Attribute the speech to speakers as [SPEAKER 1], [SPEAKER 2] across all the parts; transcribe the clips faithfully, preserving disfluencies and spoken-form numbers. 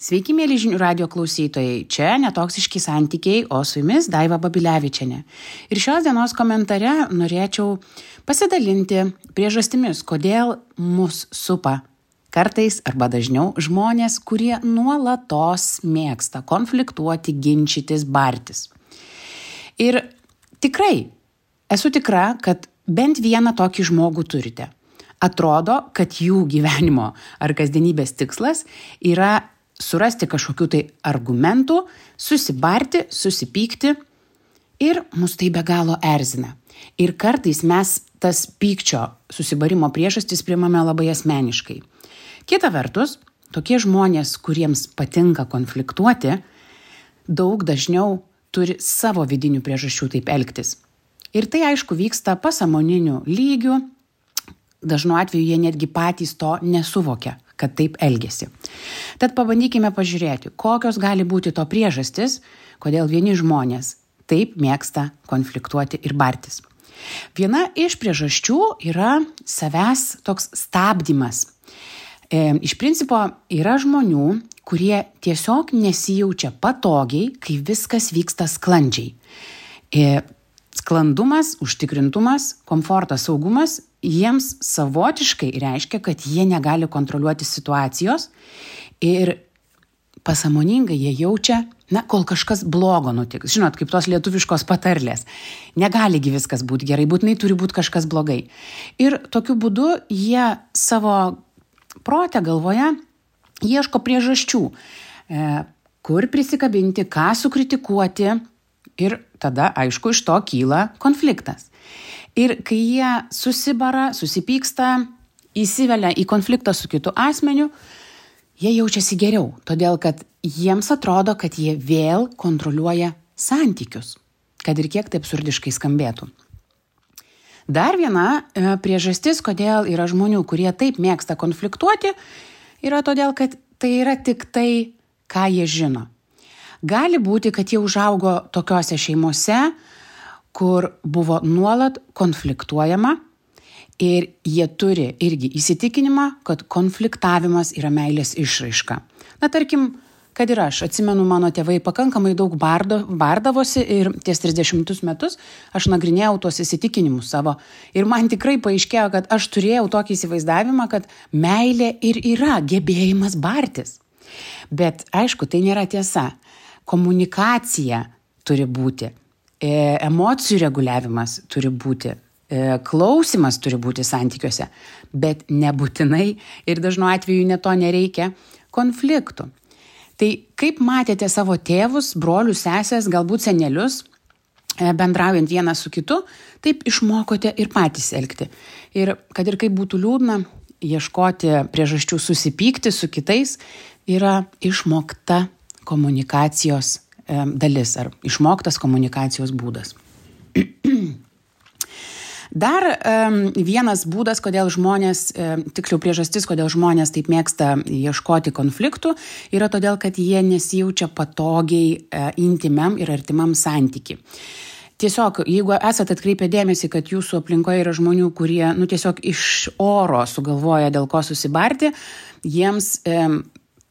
[SPEAKER 1] Sveiki, mėly žinių radio klausytojai. Čia netoksiški santykiai, o su jumis Daiva Babilevičienė. Ir šios dienos komentare norėčiau pasidalinti priežastimis, kodėl mus supa kartais arba dažniau žmonės, kurie nuolatos mėgsta konfliktuoti, ginčytis, bartis. Ir tikrai esu tikra, kad bent vieną tokį žmogų turite. Atrodo, kad jų gyvenimo ar kasdienybės tikslas yra surasti kažkokių tai argumentų, susibarti, susipykti ir mus tai be galo erzina. Ir kartais mes tas pykčio susibarimo priežastis priimame labai asmeniškai. Kita vertus, tokie žmonės, kuriems patinka konfliktuoti, daug dažniau turi savo vidinių priežasčių taip elgtis. Ir tai aišku vyksta pasąmoniniu lygiu, dažnu atveju jie netgi patys to nesuvokia, kad taip elgiasi. Tad pabandykime pažiūrėti, kokios gali būti to priežastis, kodėl vieni žmonės taip mėgsta konfliktuoti ir bartis. Viena iš priežasčių yra savęs toks stabdymas. E, iš principo yra žmonių, kurie tiesiog nesijaučia patogiai, kai viskas vyksta sklandžiai. E, sklandumas, užtikrintumas, komfortas, saugumas jiems savotiškai reiškia, kad jie negali kontroliuoti situacijos ir pasąmoningai jie jaučia, na, kol kažkas blogo nutiks. Žinot, kaip tos lietuviškos patarlės. Negaligi viskas būti gerai, būtinai turi būti kažkas blogai. Ir tokiu būdu jie savo protę galvoje ieško priežasčių, e, kur prisikabinti, ką sukritikuoti ir tada, aišku, iš to kyla konfliktas. Ir kai jie susibara, susipyksta, įsivelia į konfliktą su kitu asmeniu, jie jaučiasi geriau, todėl kad jiems atrodo, kad jie vėl kontroliuoja santykius, kad ir kiek tai absurdiškai skambėtų. Dar viena e, priežastis, kodėl yra žmonių, kurie taip mėgsta konfliktuoti, yra todėl, kad tai yra tik tai, ką jie žino. Gali būti, kad jie užaugo tokiose šeimose, kur buvo nuolat konfliktuojama ir jie turi irgi įsitikinimą, kad konfliktavimas yra meilės išraiška. Na, tarkim, kad ir aš, atsimenu, mano tėvai pakankamai daug bardo, bardavosi ir ties trisdešimtus metus aš nagrinėjau tuos įsitikinimus savo. Ir man tikrai paaiškėjo, kad aš turėjau tokį įsivaizdavimą, kad meilė ir yra gebėjimas bartis. Bet aišku, tai nėra tiesa. Komunikacija turi būti. Emocijų reguliavimas turi būti, klausimas turi būti santykiuose, bet nebūtinai ir dažnu atveju ne to nereikia konfliktų. Tai kaip matėte savo tėvus, brolius, sesės, galbūt senelius, bendraujant vienas su kitu, taip išmokote ir patys elgti. Ir kad ir kaip būtų liūdna, ieškoti priežasčių susipykti su kitais yra išmokta komunikacijos dalis ar išmoktas komunikacijos būdas. Dar um, vienas būdas, kodėl žmonės, um, tiksliau priežastis, kodėl žmonės taip mėgsta ieškoti konfliktų, yra todėl, kad jie nesijaučia patogiai uh, intymiam ir artimam santyki. Tiesiog, jeigu esate atkreipę dėmesį, kad jūsų aplinkoje yra žmonių, kurie nu, tiesiog iš oro sugalvoja dėl ko susibarti, jiems um,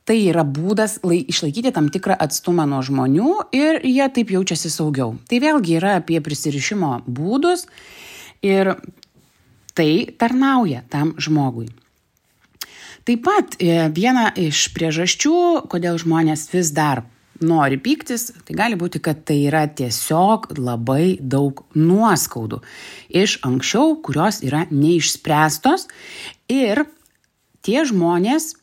[SPEAKER 1] tai yra būdas lai, išlaikyti tam tikrą atstumą nuo žmonių ir jie taip jaučiasi saugiau. Tai vėlgi yra apie prisirišimo būdus ir tai tarnauja tam žmogui. Taip pat viena iš priežasčių, kodėl žmonės vis dar nori pyktis, tai gali būti, kad tai yra tiesiog labai daug nuoskaudų iš anksčiau, kurios yra neišspręstos ir tie žmonės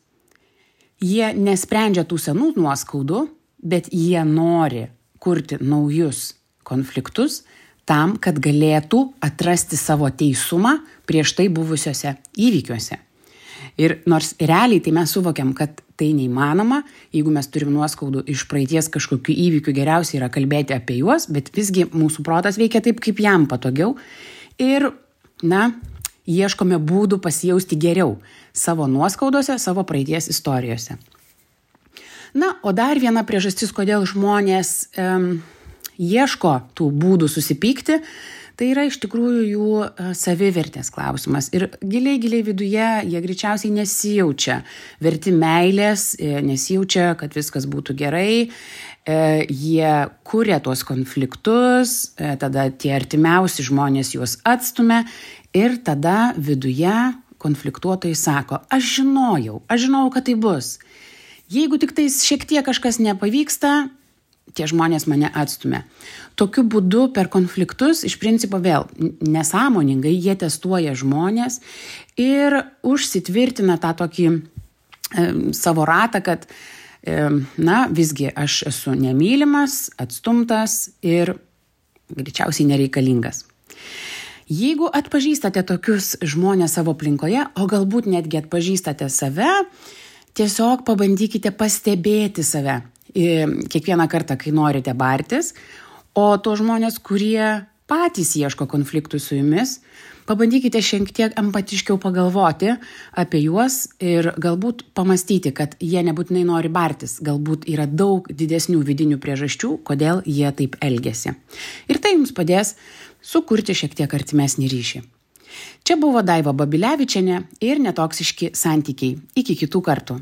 [SPEAKER 1] jie nesprendžia tų senų nuoskaudų, bet jie nori kurti naujus konfliktus tam, kad galėtų atrasti savo teisumą prieš tai buvusiuose įvykiuose. Ir nors realiai tai mes suvokiam, kad tai neįmanoma, jeigu mes turim nuoskaudų iš praeities kažkokių įvykių, geriausia yra kalbėti apie juos, bet visgi mūsų protas veikia taip, kaip jam patogiau. Ir, na, ieškome būdų pasijausti geriau savo nuoskaudose, savo praeities istorijose. Na, o dar viena priežastis, kodėl žmonės um, ieško tų būdų susipykti, tai yra iš tikrųjų jų e, savivertės klausimas. Ir giliai, giliai viduje jie greičiausiai nesijaučia verti meilės, e, nesijaučia, kad viskas būtų gerai. E, jie kuria tuos konfliktus, e, tada tie artimiausi žmonės juos atstumia ir tada viduje konfliktuotojai sako, aš žinojau, aš žinojau, kad tai bus. Jeigu tik tais šiek tiek kažkas nepavyksta, tie žmonės mane atstumia. Tokiu būdu per konfliktus, iš principo vėl nesąmoningai, jie testuoja žmonės ir užsitvirtina tą tokį e, savo ratą, kad e, na, visgi aš esu nemylimas, atstumtas ir greičiausiai nereikalingas. Jeigu atpažįstate tokius žmonės savo aplinkoje, o galbūt netgi atpažįstate save, tiesiog pabandykite pastebėti save kiekvieną kartą, kai norite bartis, o to žmonės, kurie patys ieško konfliktų su jumis, pabandykite šiek tiek empatiškiau pagalvoti apie juos ir galbūt pamastyti, kad jie nebūtinai nori bartis, galbūt yra daug didesnių vidinių priežasčių, kodėl jie taip elgiasi. Ir tai jums padės sukurti šiek tiek artimesnį ryšį. Čia buvo Daiva Babilevičienė ir netoksiški santykiai. Iki kitų kartų.